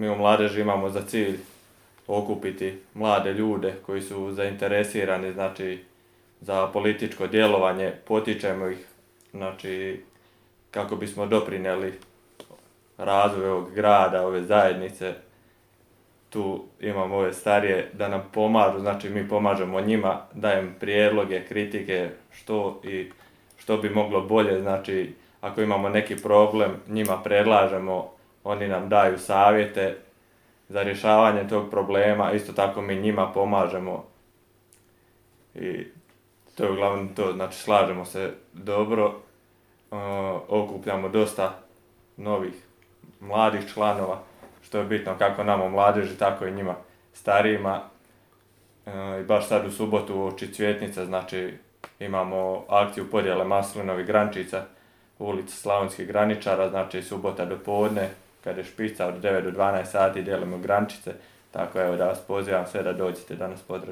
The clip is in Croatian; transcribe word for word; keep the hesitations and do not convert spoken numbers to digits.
Mi u mladeži imamo za cilj okupiti mlade ljude koji su zainteresirani, znači, za političko djelovanje, potičemo ih, znači, kako bismo doprinijeli razvoju ovog grada, ove zajednice. Tu imamo ove starije da nam pomažu, znači mi pomažemo njima, dajem prijedloge, kritike, što i što bi moglo bolje, znači ako imamo neki problem, njima predlažemo, oni nam daju savjete za rješavanje tog problema, isto tako mi njima pomažemo i to je uglavnom to, znači slažemo se dobro, okupljamo dosta novih mladih članova, što je bitno kako nama u mladeži, tako i njima starijima. I baš sad u subotu uoči Cvjetnice, znači imamo akciju podjele maslinovih grančica u ulici Slavonskih graničara, znači subota do podne, kada je špica od devet do dvanaest sati dijelimo grančice, tako evo da vas pozivam sve da dođete da nas pozdravite.